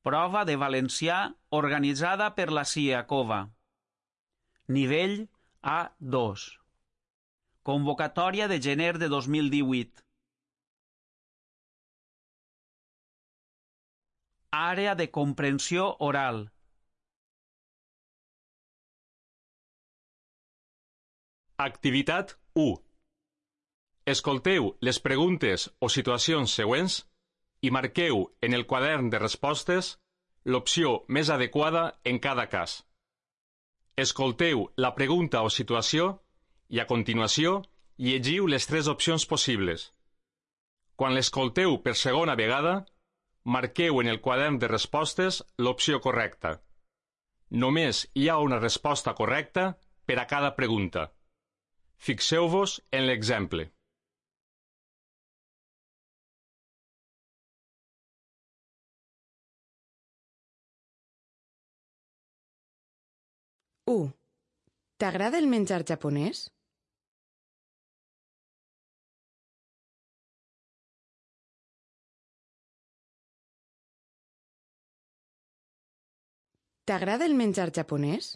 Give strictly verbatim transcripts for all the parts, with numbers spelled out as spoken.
Prova de valencià organitzada per la CIACOVA. Nivell A dos. Convocatòria de gener de dos mil divuit. Àrea de comprensió oral. Activitat u. Escolteu les preguntes o situacions següents i marqueu en el quadern de respostes l'opció més adequada en cada cas. Escolteu la pregunta o situació i, a continuació, llegiu les tres opcions possibles. Quan l'escolteu per segona vegada, marqueu en el quadern de respostes l'opció correcta. Només hi ha una resposta correcta per a cada pregunta. Fixeu-vos en l'exemple. u. T'agrada el menjar japonès? T'agrada el menjar japonès?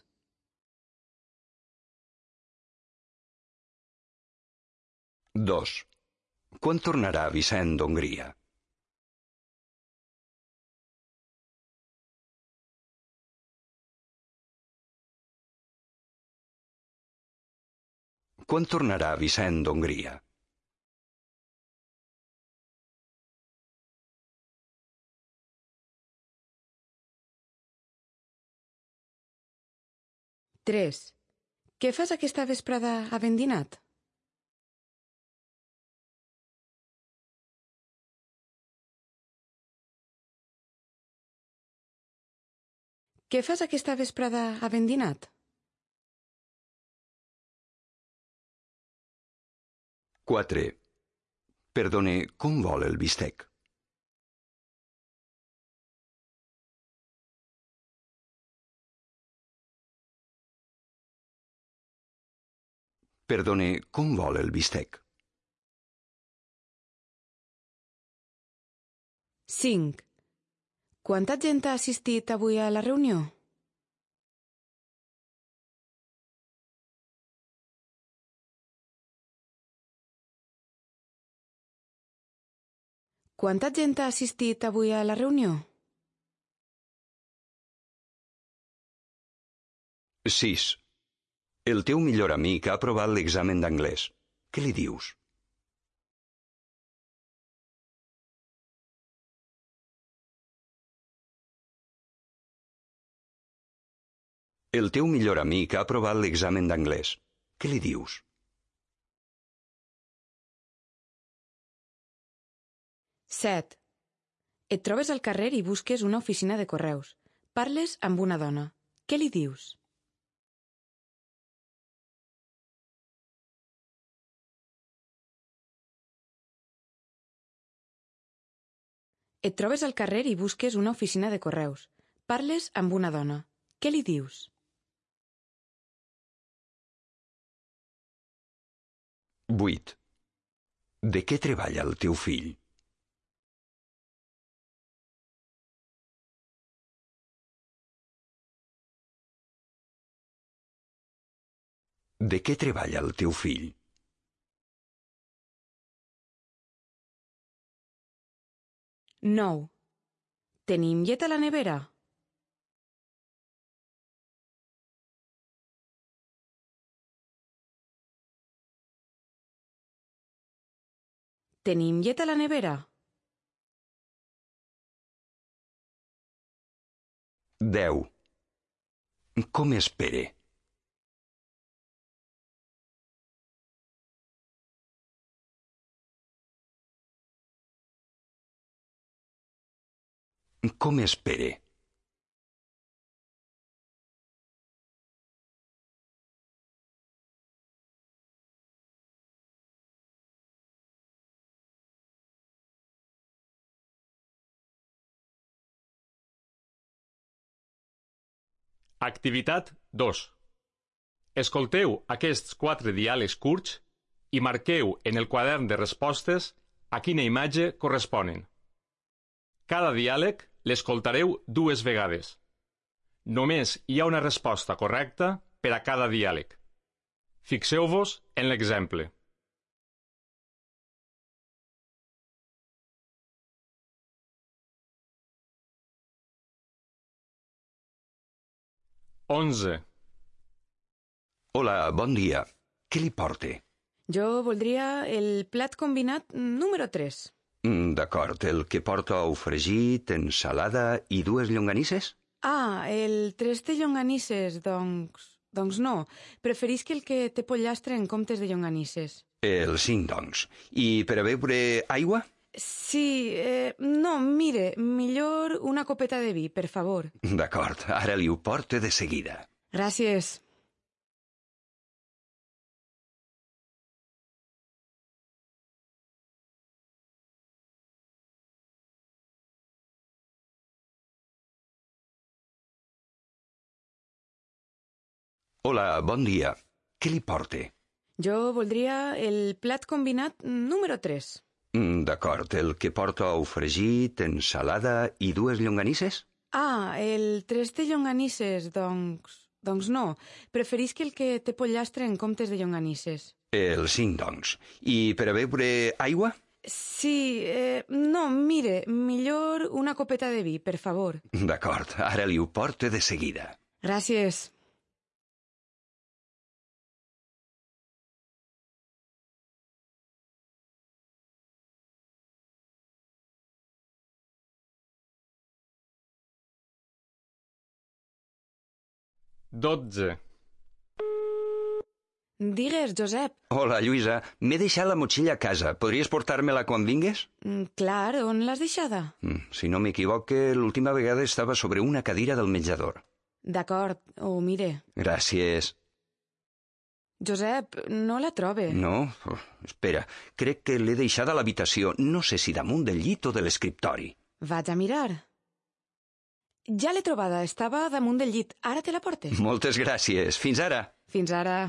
dos. Quan tornarà Vicent d'Hongria? Quan tornarà Vicent d'Hongria? tres. Què fas aquesta vesprada havent dinat? Què fas aquesta vesprada havent dinat? quatre. Perdone, com vol el bistec? Perdone, com vol el bistec? cinc. Quanta gent ha assistit avui a la reunió? Quanta gent ha assistit avui a la reunió? sis. El teu millor amic ha aprovat l'examen d'anglès. Què li dius? El teu millor amic ha aprovat l'examen d'anglès. Què li dius? set. Et trobes al carrer i busques una oficina de correus. Parles amb una dona. Què li dius? Et trobes al carrer i busques una oficina de correus. Parles amb una dona. Què li dius? vuit. De què treballa el teu fill? De què treballa el teu fill? nou. Tenim llet a la nevera? Tenim llet a la nevera? deu. Com és Pere? Com és Pere? Activitat dos. Escolteu aquests quatre diàlegs curts i marqueu en el quadern de respostes a quina imatge corresponen. Cada diàleg l'escoltareu dues vegades. Només hi ha una resposta correcta per a cada diàleg. Fixeu-vos en l'exemple. Onze. Hola, bon dia. Què li porte? Jo voldria el plat combinat número tres. Mm, D'acord, el que porta ou fregit, ensalada i dues llonganisses? Ah, el tres de llonganisses, doncs... Doncs no. Preferisc el que té pollastre en comptes de llonganisses. El cinc, doncs. I per a beure aigua? Sí, eh, no, mire, millor una copeta de vi, per favor. D'acord, ara li ho porte de seguida. Gràcies. Hola, bon dia. Què li porte? Jo voldria el plat combinat número tres. Mm, D'acord, el que porta ou fregit, ensalada i dues llonganisses? Ah, el tres de llonganisses, doncs... Doncs no. Preferisc el que té pollastre en comptes de llonganisses. El cinc, doncs. I per a beure aigua? Sí, eh, no, mire, millor una copeta de vi, per favor. D'acord, ara li ho porte de seguida. Gràcies. Dotze. Digues, Josep. Hola, Lluïsa. M'he deixat la motxilla a casa. Podries portar-me-la quan vingues? Mm, clar, on l'has deixada? Mm, si no m'equivoque, l'última vegada estava sobre una cadira del menjador. D'acord, ho mire. Gràcies. Josep, no la trobe. No? Oh, espera, crec que l'he deixada a l'habitació. No sé si damunt del llit o de l'escriptori. Vaig a mirar. Ja l'he trobada, estava damunt del llit. Ara te la porte. Moltes gràcies. Fins ara. Fins ara.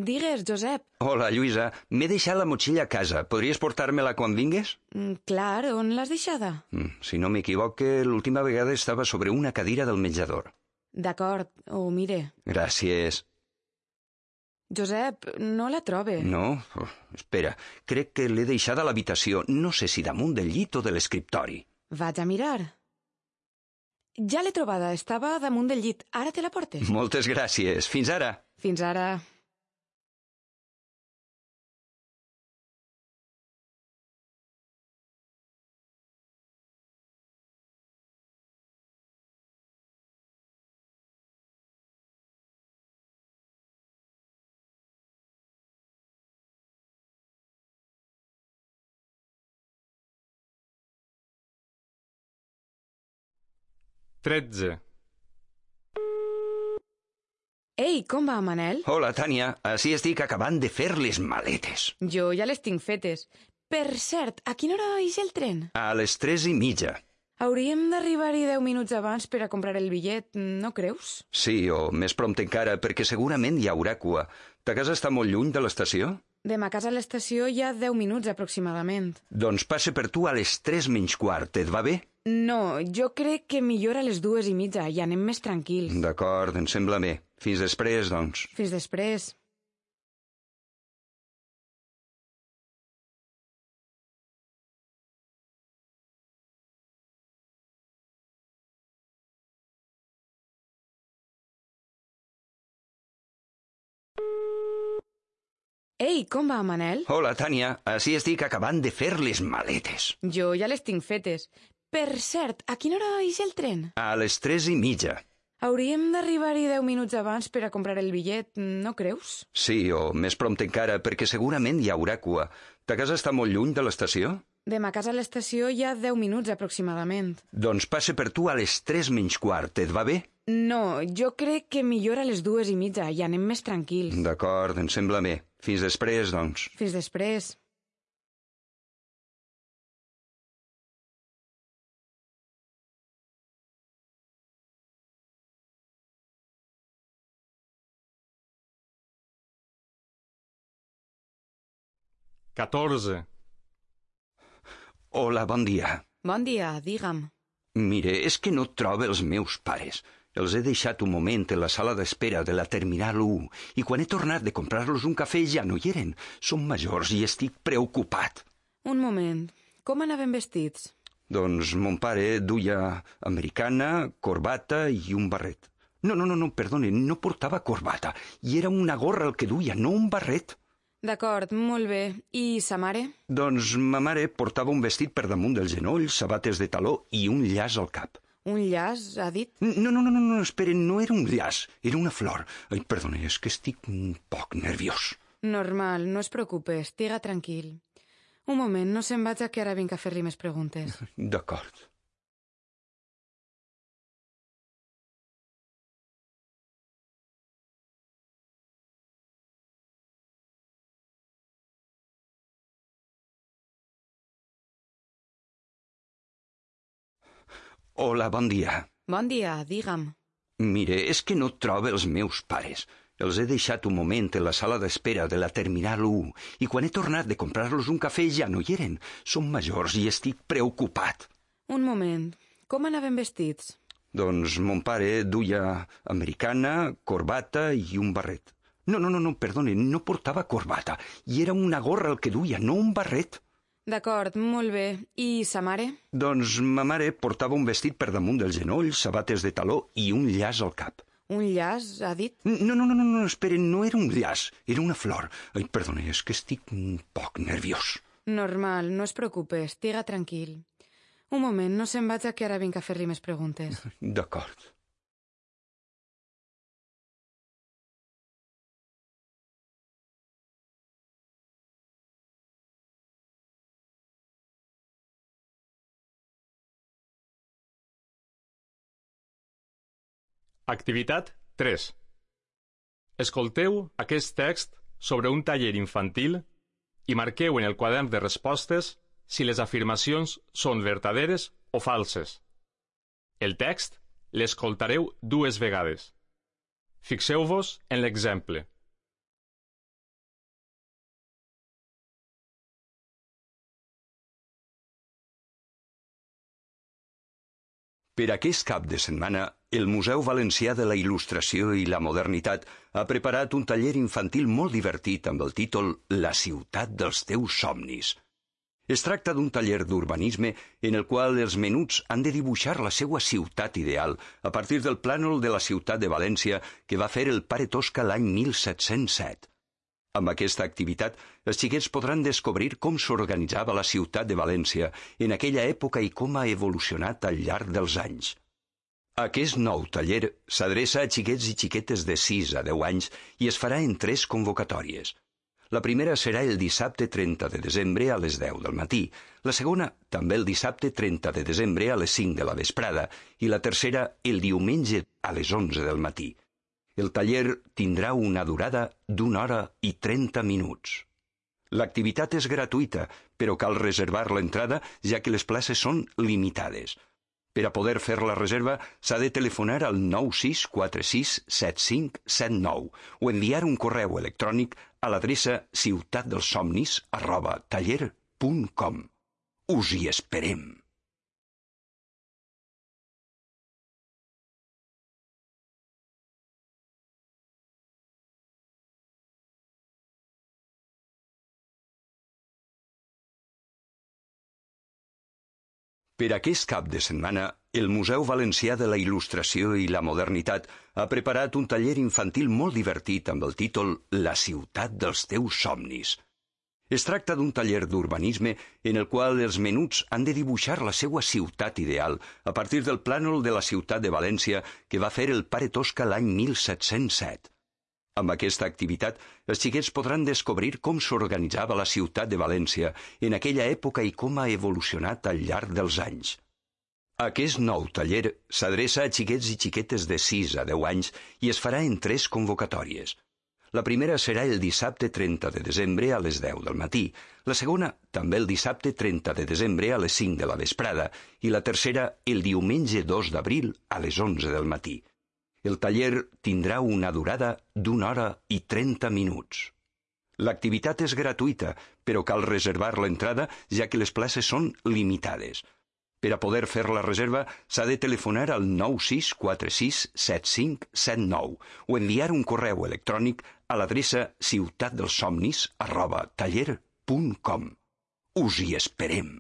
Digues, Josep. Hola, Lluïsa. M'he deixat la motxilla a casa. Podries portar-me-la quan vingues? Mm, clar, on l'has deixada? Mm, si no m'equivoque, l'última vegada estava sobre una cadira del menjador. D'acord, ho mire. Gràcies. Josep, no la trobe. No? Oh, espera, crec que l'he deixada a l'habitació. No sé si damunt del llit o de l'escriptori. Vaig a mirar. Ja l'he trobada, estava damunt del llit. Ara te la porte. Moltes gràcies. Fins ara. Fins ara. Tretze. Ei, com va, Manel? Hola, Tània. Així estic acabant de fer les maletes. Jo ja les tinc fetes. Per cert, a quina hora ix el tren? A les tres i mitja. Hauríem d'arribar-hi deu minuts abans per a comprar el bitllet, no creus? Sí, o més prompte encara, perquè segurament hi haurà cua. Ta casa està molt lluny de l'estació? De ma casa a l'estació hi ha deu minuts aproximadament. Doncs passe per tu a les tres menys quart, et va bé? No, jo crec que millor a les dues i mitja i anem més tranquils. D'acord, em sembla bé. Fins després, doncs. Fins després. Ei, com va, Manel? Hola, Tània. Així estic acabant de fer les maletes. Jo ja les tinc fetes. Per cert, a quina hora ix el tren? A les tres i mitja. Hauríem d'arribar-hi deu minuts abans per a comprar el bitllet, no creus? Sí, o més prompte encara, perquè segurament hi haurà cua. Ta casa està molt lluny de l'estació? De ma casa a l'estació hi ha deu minuts aproximadament. Doncs passe per tu a les tres menys quart, et va bé? No, jo crec que millor a les dues i mitja i anem més tranquils. D'acord, em sembla bé. Fins després, doncs. Fins després. catorze. Hola, bon dia. Bon dia, digue'm. Mire, és que no trobo els meus pares. Els he deixat un moment en la sala d'espera de la Terminal u i quan he tornat de comprar-los un cafè ja no hi eren. Són majors i estic preocupat. Un moment. Com anaven vestits? Doncs mon pare duia americana, corbata i un barret. No, no, no, no, perdone, no portava corbata. I era una gorra el que duia, no un barret. D'acord, molt bé. I sa mare? Doncs ma mare portava un vestit per damunt dels genolls, sabates de taló i un llaç al cap. Un llaç, ha dit? No, no, no, no, no, esperen, no era un llaç, era una flor. Ai, perdone, és que estic un poc nerviós. Normal, no es preocupe, estiga tranquil. Un moment, no se'n vaig, que ara vinc a fer-li més preguntes. D'acord. Hola, bon dia. Bon dia, digue'm. Mire, és que no trobo els meus pares. Els he deixat un moment en la sala d'espera de la Terminal u i quan he tornat de comprar-los un cafè ja no hi eren. Són majors i estic preocupat. Un moment. Com anaven vestits? Doncs mon pare duia americana, corbata i un barret. No, no, no, no, perdone, no portava corbata. I era una gorra el que duia, no un barret. D'acord, molt bé. I sa mare? Doncs ma mare portava un vestit per damunt dels genolls, sabates de taló i un llaç al cap. Un llaç, ha dit? No, no, no, no, no, esperen, no era un llaç, era una flor. Ai, perdone, és que estic un poc nerviós. Normal, no es preocupe, estiga tranquil. Un moment, no se'n vaig, que ara vinc a fer-li més preguntes. D'acord. Activitat tres. Escolteu aquest text sobre un taller infantil i marqueu en el quadern de respostes si les afirmacions són verdaderes o falses. El text l'escoltareu dues vegades. Fixeu-vos en l'exemple. Per aquest cap de setmana, el Museu Valencià de la Il·lustració i la Modernitat ha preparat un taller infantil molt divertit amb el títol La ciutat dels teus somnis. Es tracta d'un taller d'urbanisme en el qual els menuts han de dibuixar la seva ciutat ideal a partir del plànol de la ciutat de València que va fer el pare Tosca l'any mil set-cents set. Amb aquesta activitat, els xiquets podran descobrir com s'organitzava la ciutat de València en aquella època i com ha evolucionat al llarg dels anys. Aquest nou taller s'adreça a xiquets i xiquetes de sis a deu anys i es farà en tres convocatòries. La primera serà el dissabte trenta de desembre a les deu del matí, la segona també el dissabte trenta de desembre a les cinc de la vesprada i la tercera el diumenge a les onze del matí. El taller tindrà una durada d'una hora i trenta minuts. L'activitat és gratuïta, però cal reservar l'entrada ja que les places són limitades. Per a poder fer la reserva s'ha de telefonar al nou sis quatre sis set cinc set nou o enviar un correu electrònic a l'adreça ciutatdelsomnis arroba taller punt com. Us hi esperem! Per aquest cap de setmana, el Museu Valencià de la Il·lustració i la Modernitat ha preparat un taller infantil molt divertit amb el títol La ciutat dels teus somnis. Es tracta d'un taller d'urbanisme en el qual els menuts han de dibuixar la seva ciutat ideal a partir del plànol de la ciutat de València que va fer el pare Tosca l'any mil set-cents set. Amb aquesta activitat, els xiquets podran descobrir com s'organitzava la ciutat de València en aquella època i com ha evolucionat al llarg dels anys. Aquest nou taller s'adreça a xiquets i xiquetes de sis a deu anys i es farà en tres convocatòries. La primera serà el dissabte trenta de desembre a les deu del matí, la segona també el dissabte trenta de desembre a les cinc de la vesprada i la tercera el diumenge dos d'abril a les onze del matí. El taller tindrà una durada d'una hora i trenta minuts. L'activitat és gratuïta, però cal reservar l'entrada ja que les places són limitades. Per a poder fer la reserva s'ha de telefonar al nou sis quatre sis set cinc set nou o enviar un correu electrònic a l'adreça ciutatdelsomnis arroba taller punt com. Us hi esperem!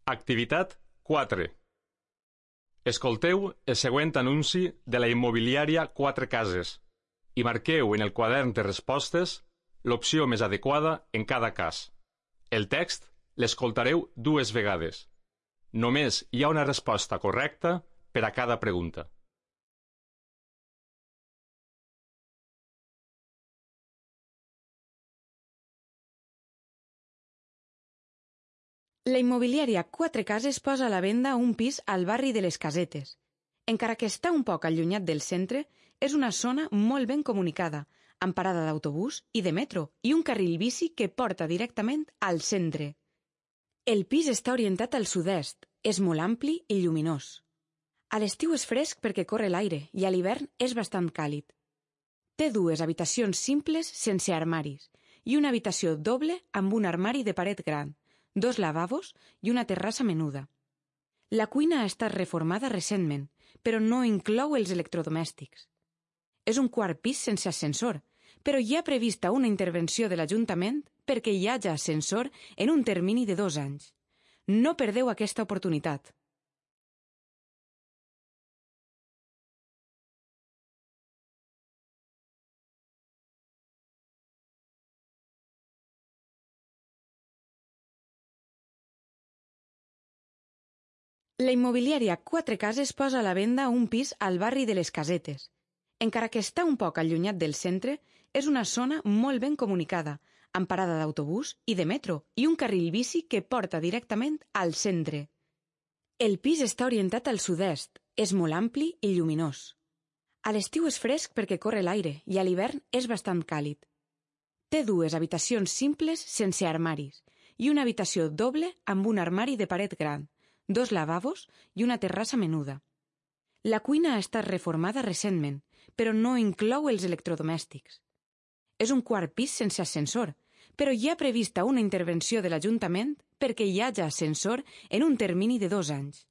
Activitat quatre. Escolteu el següent anunci de la immobiliària Quatre Cases i marqueu en el quadern de respostes l'opció més adequada en cada cas. El text l'escoltareu dues vegades. Només hi ha una resposta correcta per a cada pregunta. La immobiliària Quatre Cases posa a la venda un pis al barri de les Casetes. Encara que està un poc allunyat del centre, és una zona molt ben comunicada, amb parada d'autobús i de metro i un carril bici que porta directament al centre. El pis està orientat al sud-est, és molt ampli i lluminós. A l'estiu és fresc perquè corre l'aire i a l'hivern és bastant càlid. Té dues habitacions simples sense armaris i una habitació doble amb un armari de paret gran, dos lavabos i una terrassa menuda. La cuina ha estat reformada recentment, però no inclou els electrodomèstics. És un quart pis sense ascensor, però hi ha prevista una intervenció de l'Ajuntament perquè hi hagi ascensor en un termini de dos anys. No perdeu aquesta oportunitat. La immobiliària Quatre Cases posa a la venda un pis al barri de les Casetes. Encara que està un poc allunyat del centre, és una zona molt ben comunicada, amb parada d'autobús i de metro i un carril bici que porta directament al centre. El pis està orientat al sud-est, és molt ampli i lluminós. A l'estiu és fresc perquè corre l'aire i a l'hivern és bastant càlid. Té dues habitacions simples sense armaris i una habitació doble amb un armari de paret gran, dos lavabos i una terrassa menuda. La cuina ha estat reformada recentment, però no inclou els electrodomèstics. És un quart pis sense ascensor, però hi ha prevista una intervenció de l'Ajuntament perquè hi hagi ascensor en un termini de dos anys.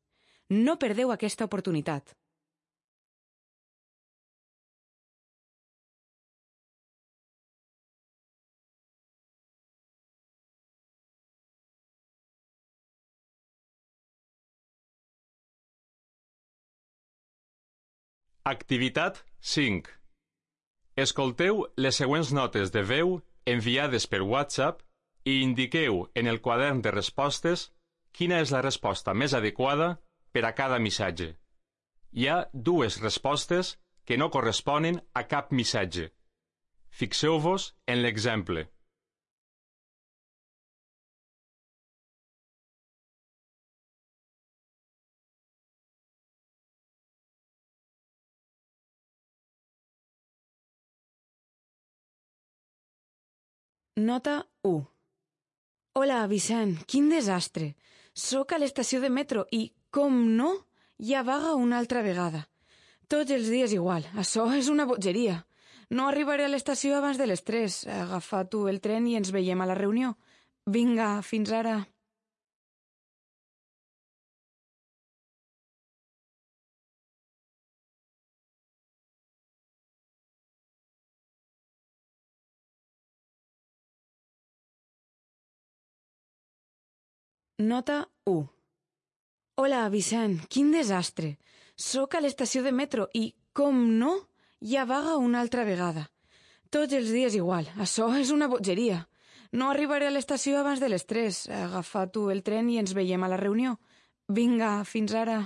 No perdeu aquesta oportunitat. Activitat cinc. Escolteu les següents notes de veu enviades per WhatsApp i indiqueu en el quadern de respostes quina és la resposta més adequada per a cada missatge. Hi ha dues respostes que no corresponen a cap missatge. Fixeu-vos en l'exemple. Nota u. Hola, Vicent, quin desastre. Soc a l'estació de metro i, com no, hi ha vaga una altra vegada. Tots els dies igual. Això és una bogeria. No arribaré a l'estació abans de les tres. Agafa tu el tren i ens veiem a la reunió. Vinga, fins ara. Nota u. Hola, Vicent, quin desastre. Soc a l'estació de metro i, com no, hi ha vaga una altra vegada. Tots els dies igual. Això és una bogeria. No arribaré a l'estació abans de les tres. Agafa tu el tren i ens veiem a la reunió. Vinga, fins ara.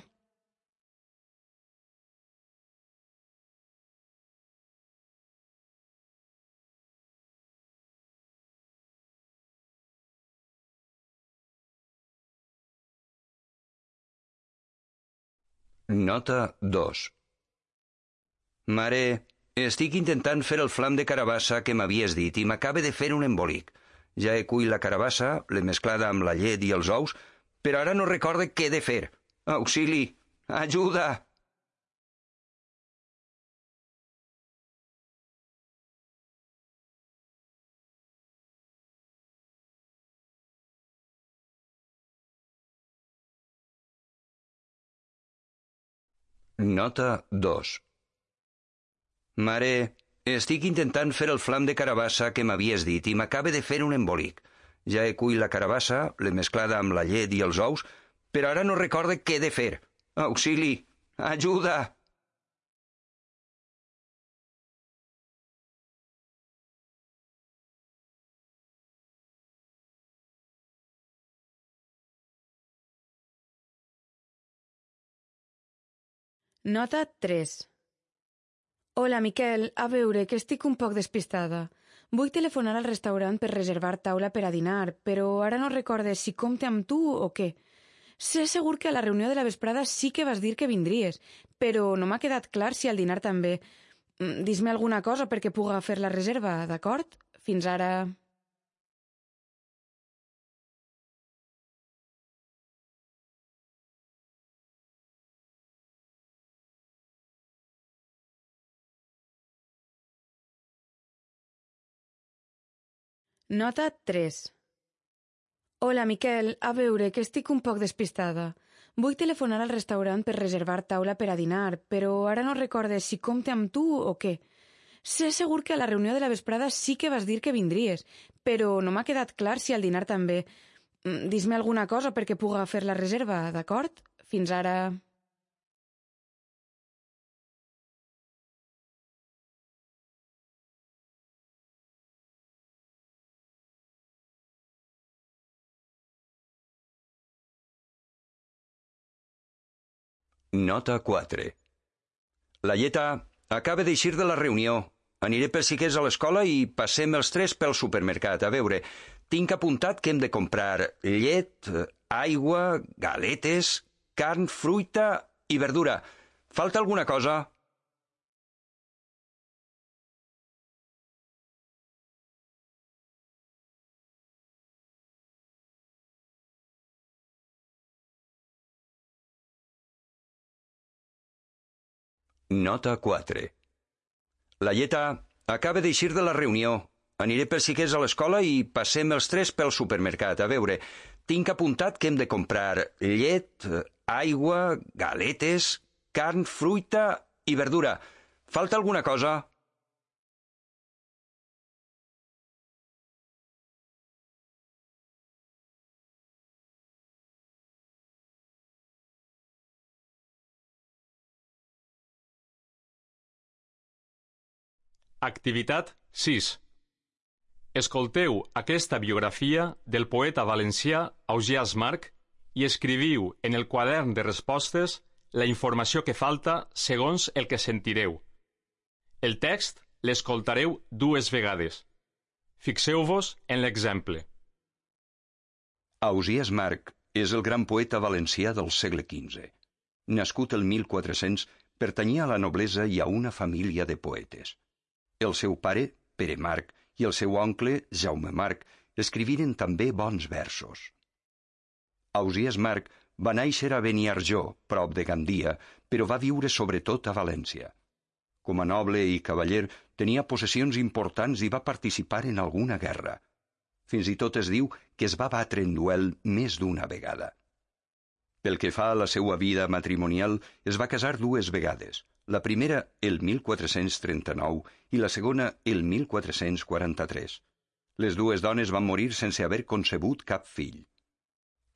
Nota dos. Mare, estic intentant fer el flam de carabassa que m'havies dit i m'acaba de fer un embolic. Ja he cuit la carabassa, l'he mesclada amb la llet i els ous, però ara no recorde què he de fer. Auxili! Ajuda! Nota dos. Mare, estic intentant fer el flam de carabassa que m'havies dit i m'acaba de fer un embolic. Ja he cuit la carabassa, l'he mesclada amb la llet i els ous, però ara no recorde què he de fer. Auxili! Ajuda! Nota tres. Hola, Miquel. A veure, que estic un poc despistada. Vull telefonar al restaurant per reservar taula per a dinar, però ara no recordes si compte amb tu o què. Sé segur que a la reunió de la vesprada sí que vas dir que vindries, però no m'ha quedat clar si al dinar també. Dis-me alguna cosa perquè puga fer la reserva, d'acord? Fins ara... Nota tres. Hola, Miquel. A veure, que estic un poc despistada. Vull telefonar al restaurant per reservar taula per a dinar, però ara no recordes si compte amb tu o què. Sé segur que a la reunió de la vesprada sí que vas dir que vindries, però no m'ha quedat clar si al dinar també. Dis-me alguna cosa perquè puga fer la reserva, d'acord? Fins ara... Nota quatre. La Lleta acaba d'eixir de la reunió. Aniré per si que és a l'escola i passem els tres pel supermercat. A veure, tinc apuntat que hem de comprar llet, aigua, galetes, carn, fruita i verdura. Falta alguna cosa? Nota quatre. La Lleta acaba d'eixir de la reunió. Aniré per si que és a l'escola i passem els tres pel supermercat. A veure, tinc apuntat que hem de comprar llet, aigua, galetes, carn, fruita i verdura. Falta alguna cosa? Activitat sis. Escolteu aquesta biografia del poeta valencià Ausiàs March i escriviu en el quadern de respostes la informació que falta segons el que sentireu. El text l'escoltareu dues vegades. Fixeu-vos en l'exemple. Ausiàs March és el gran poeta valencià del segle quinze. Nascut el mil quatre-cents, pertanyia a la noblesa i a una família de poetes. El seu pare, Pere March, i el seu oncle, Jaume March, escriviren també bons versos. Ausiàs March va néixer a Beniarjó, prop de Gandia, però va viure sobretot a València. Com a noble i cavaller, tenia possessions importants i va participar en alguna guerra. Fins i tot es diu que es va batre en duel més d'una vegada. Pel que fa a la seva vida matrimonial, es va casar dues vegades. La primera el mil quatre-cents trenta-nou i la segona el mil quatre-cents quaranta-tres. Les dues dones van morir sense haver concebut cap fill.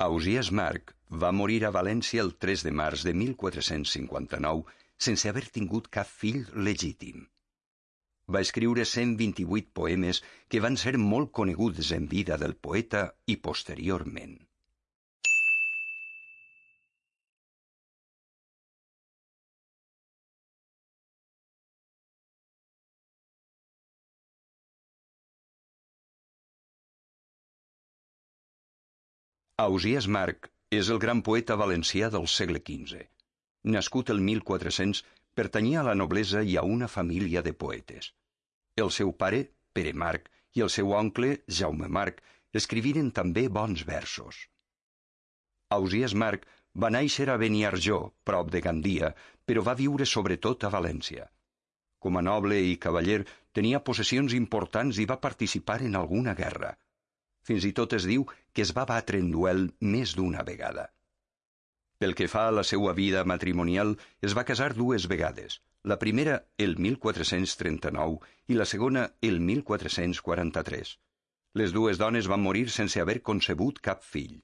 Ausiàs March va morir a València el tres de març de mil quatre-cents cinquanta-nou sense haver tingut cap fill legítim. Va escriure cent vint-i-vuit poemes que van ser molt coneguts en vida del poeta i posteriorment. Ausiàs March és el gran poeta valencià del segle quinze. Nascut el mil quatre-cents, pertanyia a la noblesa i a una família de poetes. El seu pare, Pere Marc, i el seu oncle, Jaume Marc, escriviren també bons versos. Ausiàs Marc va néixer a Beniarjó, prop de Gandia, però va viure sobretot a València. Com a noble i cavaller, tenia possessions importants i va participar en alguna guerra. Fins i tot es diu que es va batre en duel més d'una vegada. Pel que fa a la seva vida matrimonial, es va casar dues vegades, la primera el mil quatre-cents trenta-nou i la segona el mil quatre-cents quaranta-tres. Les dues dones van morir sense haver concebut cap fill.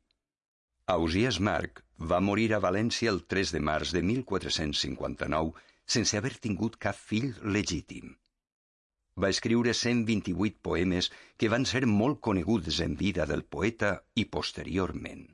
Ausiàs Marc va morir a València el tres de març de mil quatre-cents cinquanta-nou sense haver tingut cap fill legítim. Va escriure cent vint-i-vuit poemes que van ser molt coneguts en vida del poeta i posteriorment.